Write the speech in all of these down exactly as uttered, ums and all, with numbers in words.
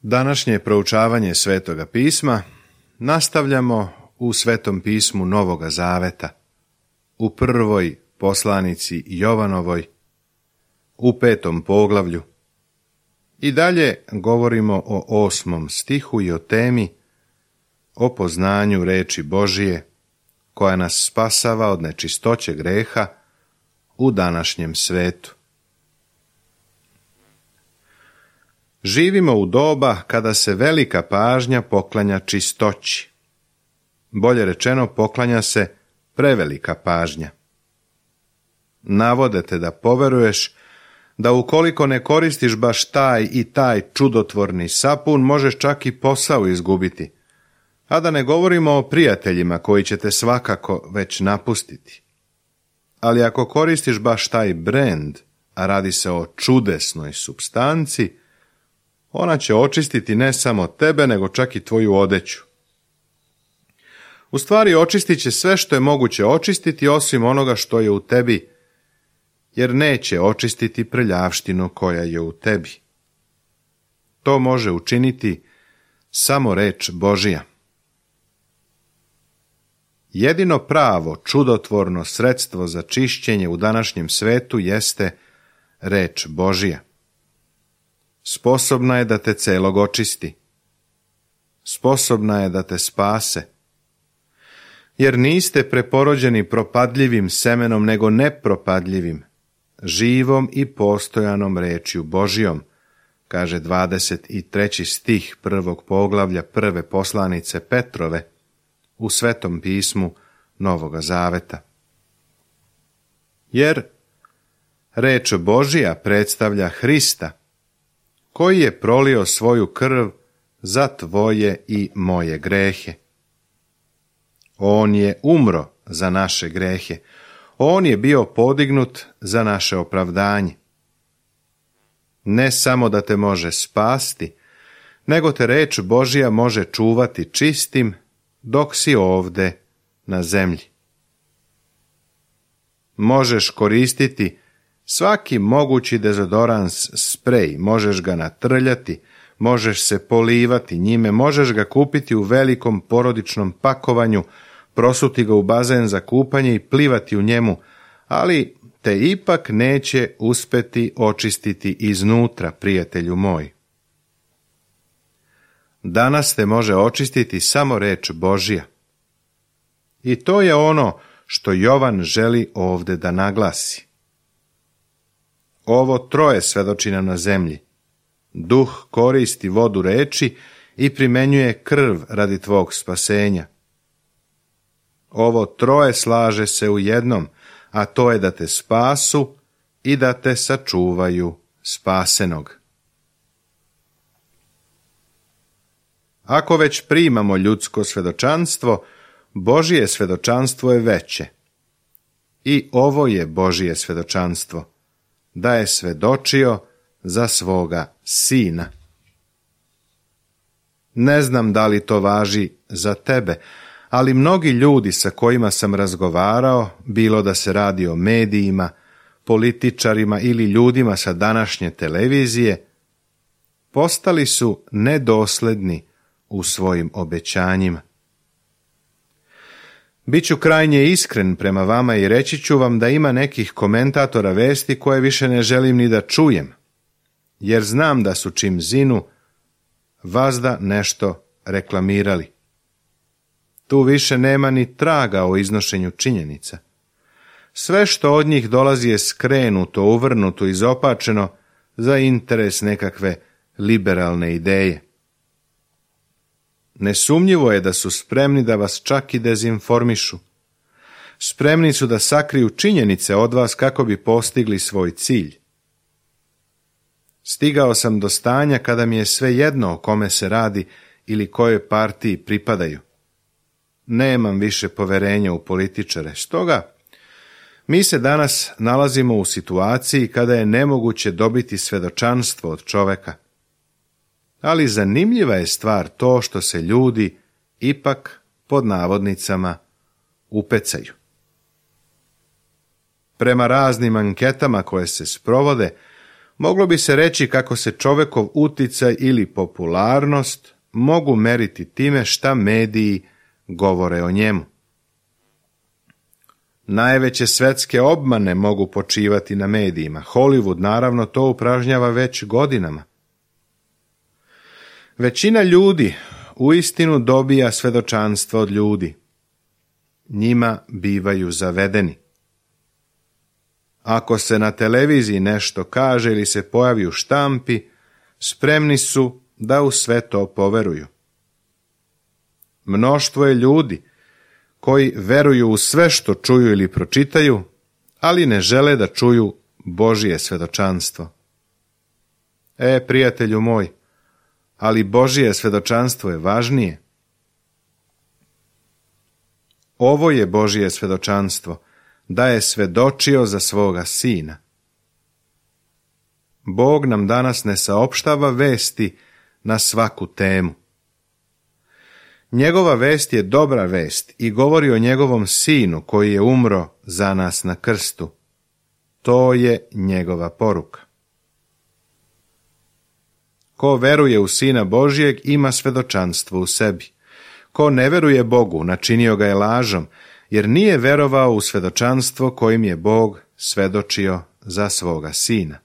Današnje proučavanje Svetoga pisma nastavljamo u Svetom pismu Novoga Zaveta, u prvoj poslanici Jovanovoj, u petom poglavlju. I dalje govorimo o osmom stihu i o temi o poznanju reči Božije, koja nas spasava od nečistoće greha u današnjem svetu. Živimo u doba kada se velika pažnja poklanja čistoći. Bolje rečeno, poklanja se prevelika pažnja. Navode te da poveruješ da ukoliko ne koristiš baš taj i taj čudotvorni sapun, možeš čak i posao izgubiti, a da ne govorimo o prijateljima koji će te svakako već napustiti. Ali ako koristiš baš taj brend, a radi se o čudesnoj supstanci, ona će očistiti ne samo tebe, nego čak i tvoju odeću. U stvari očistit će sve što je moguće očistiti, osim onoga što je u tebi, jer neće očistiti prljavštinu koja je u tebi. To može učiniti samo reč Božija. Jedino pravo, čudotvorno sredstvo za čišćenje u današnjem svetu jeste reč Božija. Sposobna je da te celog očisti. Sposobna je da te spase. Jer niste preporođeni propadljivim semenom, nego nepropadljivim, živom i postojanom rečju Božijom, kaže dvadeset treći stih prvog poglavlja prve poslanice Petrove u Svetom pismu Novoga Zaveta. Jer reč Božija predstavlja Hrista, koji je prolio svoju krv za tvoje i moje grehe. On je umro za naše grehe. On je bio podignut za naše opravdanje. Ne samo da te može spasti, nego te reč Božja može čuvati čistim dok si ovde na zemlji. Možeš koristiti svaki mogući dezodorans sprej, možeš ga natrljati, možeš se polivati njime, možeš ga kupiti u velikom porodičnom pakovanju, prosuti ga u bazen za kupanje i plivati u njemu, ali te ipak neće uspeti očistiti iznutra, prijatelju moj. Danas te može očistiti samo reč Božja. I to je ono što Jovan želi ovde da naglasi. Ovo troje svedoči nam na zemlji. Duh koristi vodu reči i primenjuje krv radi tvog spasenja. Ovo troje slaže se u jednom, a to je da te spasu i da te sačuvaju spasenog. Ako već primamo ljudsko svedočanstvo, Božije svedočanstvo je veće. I ovo je Božije svedočanstvo, da je svedočio za svoga sina. Ne znam da li to važi za tebe, ali mnogi ljudi sa kojima sam razgovarao, bilo da se radi o medijima, političarima ili ljudima sa današnje televizije, postali su nedosledni u svojim obećanjima. Biću krajnje iskren prema vama i reći ću vam da ima nekih komentatora vesti koje više ne želim ni da čujem, jer znam da su čim zinu vazda nešto reklamirali. Tu više nema ni traga o iznošenju činjenica. Sve što od njih dolazi je skrenuto, uvrnuto, izopačeno za interes nekakve liberalne ideje. Nesumnjivo je da su spremni da vas čak i dezinformišu. Spremni su da sakriju činjenice od vas kako bi postigli svoj cilj. Stigao sam do stanja kada mi je sve jedno o kome se radi ili kojoj partiji pripadaju. Nemam više poverenja u političare, stoga mi se danas nalazimo u situaciji kada je nemoguće dobiti svedočanstvo od čoveka. Ali zanimljiva je stvar to što se ljudi ipak pod navodnicama upecaju. Prema raznim anketama koje se sprovode, Moglo bi se reći kako se čovekov uticaj ili popularnost mogu meriti time šta mediji govore o njemu. Najveće svetske obmane mogu počivati na medijima. Hollywood naravno to upražnjava već godinama. Većina ljudi uistinu dobija svedočanstvo od ljudi. Njima bivaju zavedeni. Ako se na televiziji nešto kaže ili se pojavi u štampi, spremni su da u sve to poveruju. Mnoštvo je ljudi koji veruju u sve što čuju ili pročitaju, ali ne žele da čuju Božje svedočanstvo. E, prijatelju moj, ali Božje svedočanstvo je važnije. Ovo je Božje svedočanstvo, da je svedočio za svoga sina. Bog nam danas ne saopštava vesti na svaku temu. Njegova vest je dobra vest i govori o njegovom sinu koji je umro za nas na krstu. To je njegova poruka. Ko veruje u Sina Božjeg ima svedočanstvo u sebi. Ko ne veruje Bogu, načinio ga je lažom, jer nije verovao u svedočanstvo kojim je Bog svedočio za svoga sina.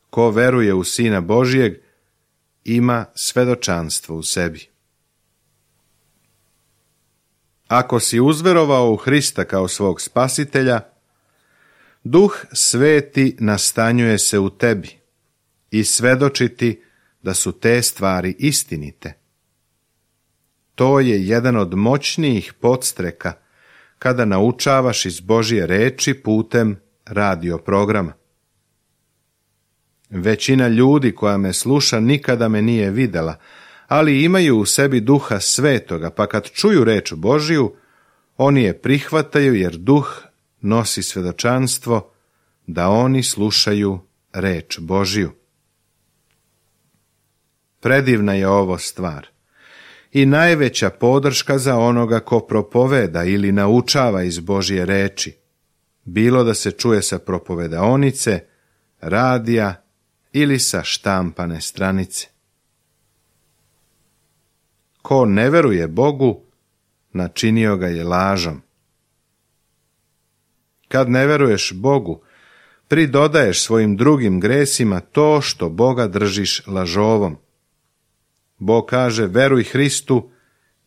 Ko veruje u Sina Božjeg ima svedočanstvo u sebi. Ako si uzverovao u Hrista kao svog spasitelja, Duh Sveti nastanjuje se u tebi i svedoči ti da su te stvari istinite. To je jedan od moćnijih podstreka kada naučavaš iz Božje reči putem radio programa. Većina ljudi koja me sluša nikada me nije videla, ali imaju u sebi Duha Svetoga, pa kad čuju reč Božju, oni je prihvataju jer Duh nosi svedočanstvo da oni slušaju reč Božju. Predivna je ovo stvar i najveća podrška za onoga ko propoveda ili naučava iz Božje reči, bilo da se čuje sa propovedaonice, radija ili sa štampane stranice. Ko ne veruje Bogu, načinio ga je lažom. Kad ne veruješ Bogu, pridodaješ svojim drugim gresima to što Boga držiš lažovom. Bog kaže, veruj Hristu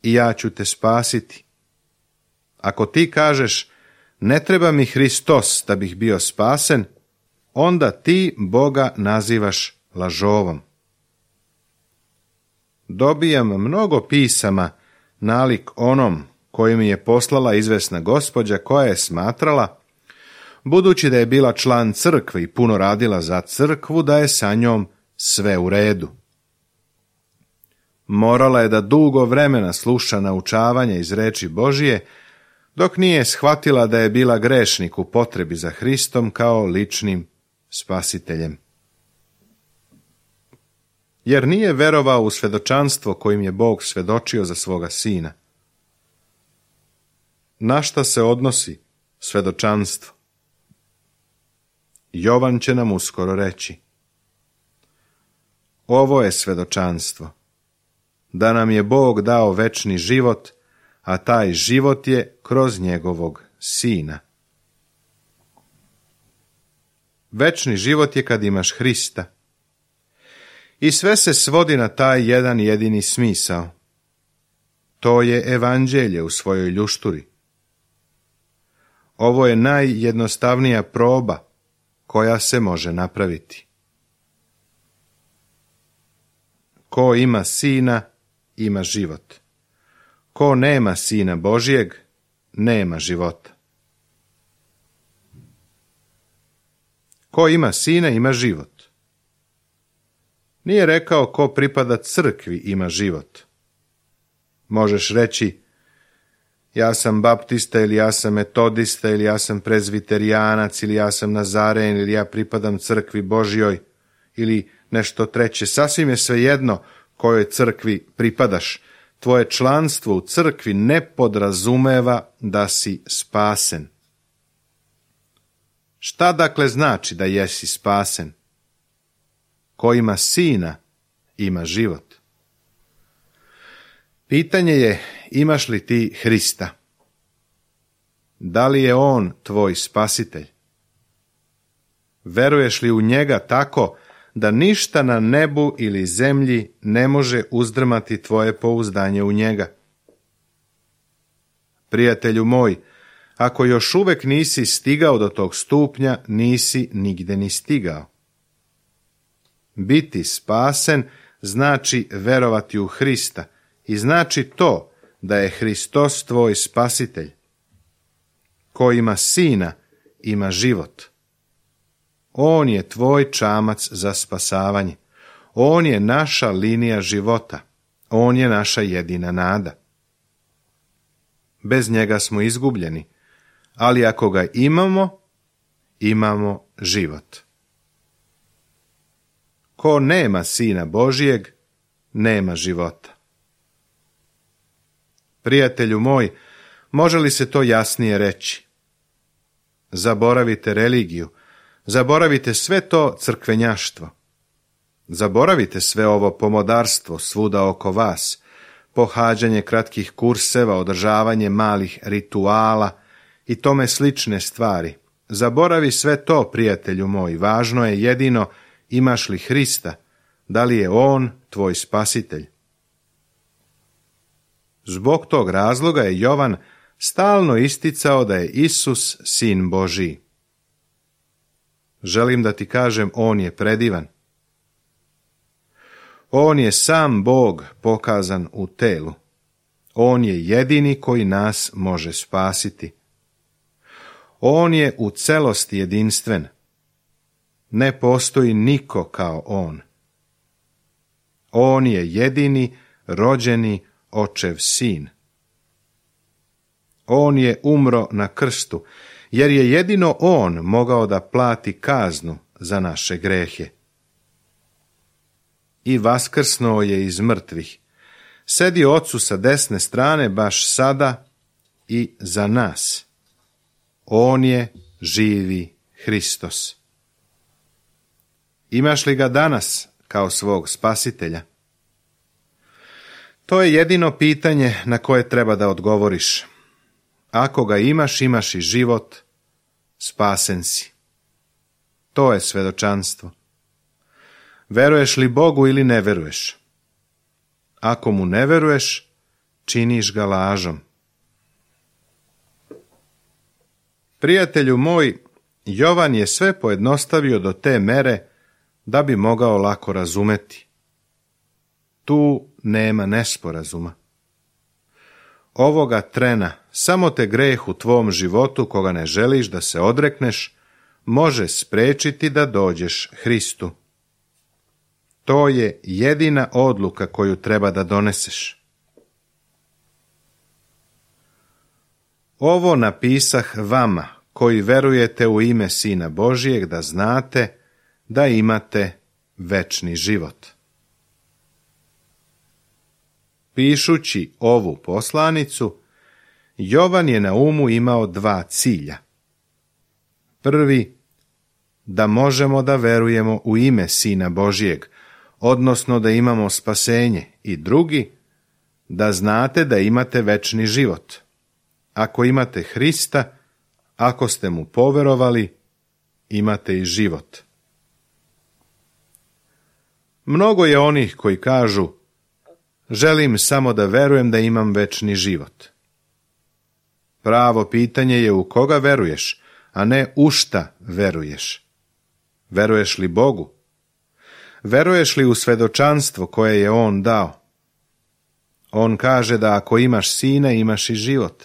i ja ću te spasiti. Ako ti kažeš, ne treba mi Hristos da bih bio spasen, onda ti Boga nazivaš lažovom. Dobijam mnogo pisama nalik onom koji mi je poslala izvesna gospođa koja je smatrala, budući da je bila član crkve i puno radila za crkvu, da je sa njom sve u redu. Morala je da dugo vremena sluša naučavanje iz reči Božije, dok nije shvatila da je bila grešnik u potrebi za Hristom kao ličnim spasiteljem. Jer nije verovao u svedočanstvo kojim je Bog svedočio za svoga sina. Na šta se odnosi svedočanstvo? Jovan će nam uskoro reći. Ovo je svedočanstvo, da nam je Bog dao večni život, a taj život je kroz njegovog sina. Večni život je kad imaš Hrista. I sve se svodi na taj jedan jedini smisao. To je evanđelje u svojoj ljušturi. Ovo je najjednostavnija proba koja se može napraviti. Ko ima sina, ima život. Ko nema sina Božjeg, nema života. Ko ima sina, ima život. Nije rekao ko pripada crkvi ima život. Možeš reći, ja sam baptista ili ja sam metodista ili ja sam prezviterijanac ili ja sam nazaren ili ja pripadam crkvi Božjoj ili nešto treće. Sasvim je svejedno kojoj crkvi pripadaš. Tvoje članstvo u crkvi ne podrazumeva da si spasen. Šta dakle znači da jesi spasen? Ko ima sina, ima život. Pitanje je, imaš li ti Hrista? Da li je on tvoj spasitelj? Veruješ li u njega tako da ništa na nebu ili zemlji ne može uzdrmati tvoje pouzdanje u njega? Prijatelju moj, ako još uvek nisi stigao do tog stupnja, nisi nigde ni stigao. Biti spasen znači verovati u Hrista i znači to da je Hristos tvoj spasitelj. Ko ima sina, ima život. On je tvoj čamac za spasavanje. On je naša linija života. On je naša jedina nada. Bez njega smo izgubljeni, ali ako ga imamo, imamo život. Ko nema sina Božijeg, nema života. Prijatelju moj, može li se to jasnije reći? Zaboravite religiju, zaboravite sve to crkvenjaštvo. Zaboravite sve ovo pomodarstvo svuda oko vas, pohađanje kratkih kurseva, održavanje malih rituala i tome slične stvari. Zaboravi sve to, prijatelju moj, važno je jedino imaš li Hrista, da li je on tvoj spasitelj. Zbog tog razloga je Jovan stalno isticao da je Isus sin Božiji. Želim da ti kažem, on je predivan. On je sam Bog pokazan u telu. On je jedini koji nas može spasiti. On je u celosti jedinstven. Ne postoji niko kao on. On je jedini rođeni očev sin. On je umro na krstu, jer je jedino on mogao da plati kaznu za naše grehe. I vaskrsnuo je iz mrtvih. Sedi Ocu sa desne strane baš sada i za nas. On je živi Hristos. Imaš li ga danas kao svog spasitelja? To je jedino pitanje na koje treba da odgovoriš. Ako ga imaš, imaš i život, spasen si. To je svedočanstvo. Veruješ li Bogu ili ne veruješ? Ako mu ne veruješ, činiš ga lažom. Prijatelju moj, Jovan je sve pojednostavio do te mere da bi mogao lako razumeti. Tu nema nesporazuma. Ovoga trena samo te greh u tvom životu, koga ne želiš da se odrekneš, može spriječiti da dođeš Hristu. To je jedina odluka koju treba da doneseš. Ovo napisah vama, koji verujete u ime Sina Božijeg, da znate da imate večni život. Pišući ovu poslanicu, Jovan je na umu imao dva cilja. Prvi, da možemo da verujemo u ime Sina Božijeg, odnosno da imamo spasenje, i drugi, da znate da imate večni život. Ako imate Hrista, ako ste mu poverovali, imate i život. Mnogo je onih koji kažu, želim samo da verujem da imam večni život. Pravo pitanje je u koga veruješ, a ne u šta veruješ. Veruješ li Bogu? Veruješ li u svedočanstvo koje je on dao? On kaže da ako imaš sina, imaš i život.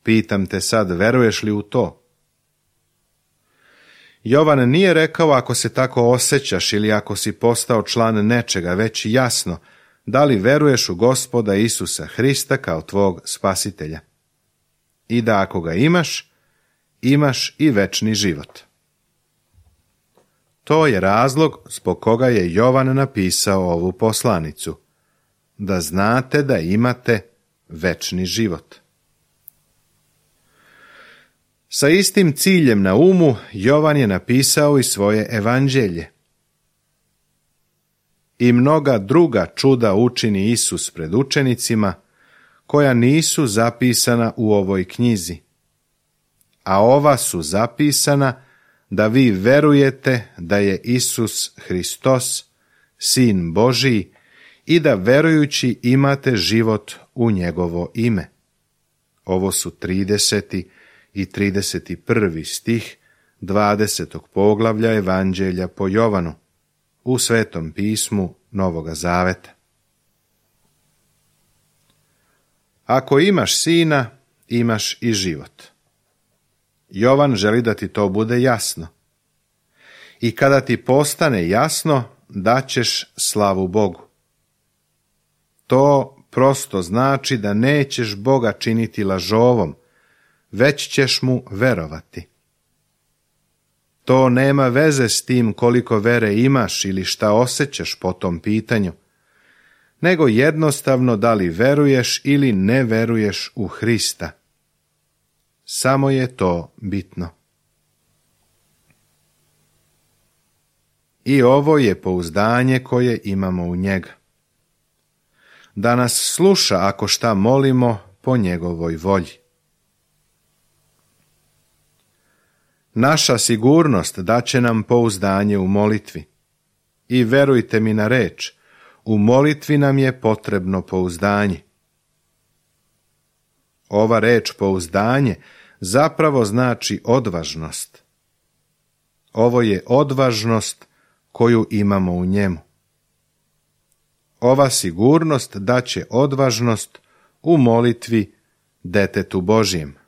Pitam te sad, veruješ li u to? Jovan nije rekao ako se tako osjećaš ili ako si postao član nečega, već jasno, da li veruješ u Gospoda Isusa Hrista kao tvog spasitelja. I da ako ga imaš, imaš i večni život. To je razlog zbog koga je Jovan napisao ovu poslanicu, da znate da imate večni život. Sa istim ciljem na umu Jovan je napisao i svoje evanđelje. I mnoga druga čuda učini Isus pred učenicima, koja nisu zapisana u ovoj knjizi. A ova su zapisana da vi verujete da je Isus Hristos, Sin Božiji, i da verujući imate život u njegovo ime. Ovo su trideseti i trideset prvi stih dvadesetog poglavlja Evanđelja po Jovanu u Svetom pismu Novoga Zaveta. Ako imaš sina, imaš i život. Jovan želi da ti to bude jasno. I kada ti postane jasno, daćeš slavu Bogu. To prosto znači da nećeš Boga činiti lažovom, već ćeš mu verovati. To nema veze s tim koliko vere imaš ili šta osjećaš po tom pitanju, nego jednostavno da li veruješ ili ne veruješ u Hrista. Samo je to bitno. I ovo je pouzdanje koje imamo u njega. Da nas sluša ako šta molimo po njegovoj volji. Naša sigurnost daće nam pouzdanje u molitvi. I verujte mi na reč, u molitvi nam je potrebno pouzdanje. Ova reč pouzdanje zapravo znači odvažnost. Ovo je odvažnost koju imamo u njemu. Ova sigurnost daće odvažnost u molitvi detetu Božjem.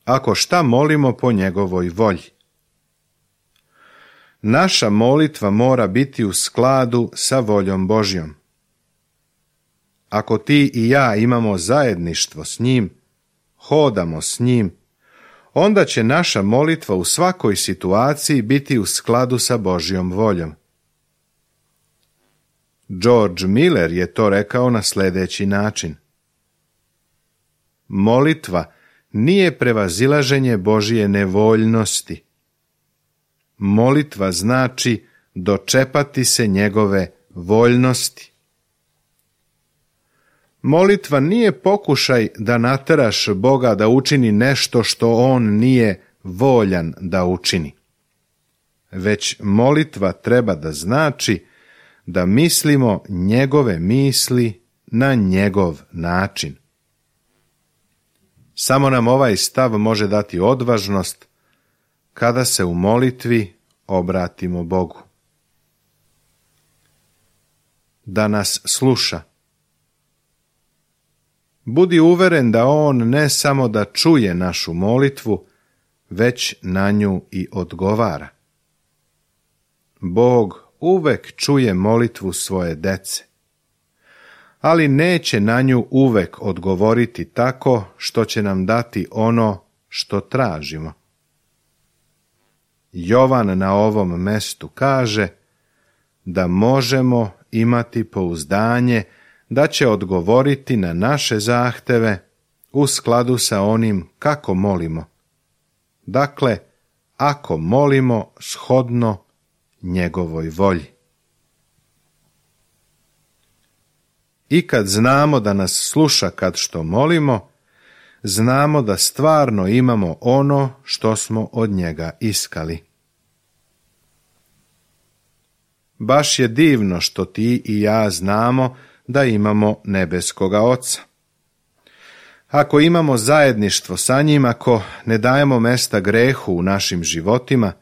Ako šta molimo po njegovoj volji. Naša molitva mora biti u skladu sa voljom Božjom. Ako ti i ja imamo zajedništvo s njim, hodamo s njim, onda će naša molitva u svakoj situaciji biti u skladu sa Božjom voljom. George Miller je to rekao na sljedeći način. Molitva nije prevazilaženje Božje nevoljnosti. Molitva znači dočepati se njegove voljnosti. Molitva nije pokušaj da nateraš Boga da učini nešto što on nije voljan da učini. Već molitva treba da znači da mislimo njegove misli na njegov način. Samo nam ovaj stav može dati odvažnost kada se u molitvi obratimo Bogu. Da nas sluša. Budi uveren da on ne samo da čuje našu molitvu, već na nju i odgovara. Bog uvek čuje molitvu svoje dece, ali neće na nju uvek odgovoriti tako što će nam dati ono što tražimo. Jovan na ovom mestu kaže da možemo imati pouzdanje da će odgovoriti na naše zahteve u skladu sa onim kako molimo. Dakle, ako molimo shodno njegovoj volji. I kad znamo da nas sluša kad što molimo, znamo da stvarno imamo ono što smo od njega iskali. Baš je divno što ti i ja znamo da imamo nebeskoga Oca. Ako imamo zajedništvo sa njim, ako ne dajemo mesta grehu u našim životima,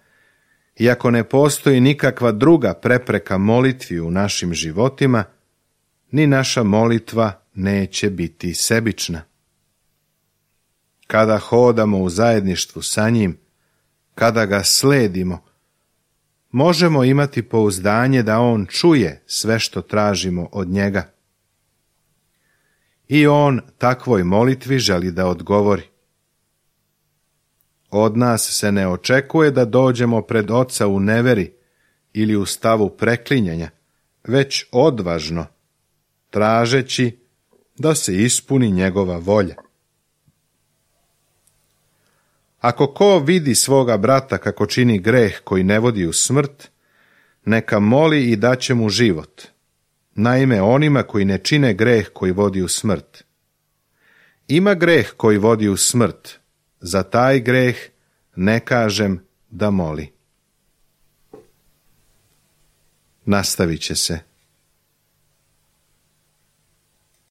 i ako ne postoji nikakva druga prepreka molitvi u našim životima, ni naša molitva neće biti sebična. Kada hodamo u zajedništvu sa njim, kada ga sledimo, možemo imati pouzdanje da on čuje sve što tražimo od njega. I on takvoj molitvi želi da odgovori. Od nas se ne očekuje da dođemo pred Oca u neveri ili u stavu preklinjanja, već odvažno, tražeći da se ispuni njegova volja. Ako ko vidi svoga brata kako čini greh koji ne vodi u smrt, neka moli i daće mu život. Naime, onima koji ne čine greh koji vodi u smrt. Ima greh koji vodi u smrt, za taj greh ne kažem da moli. Nastavit će se.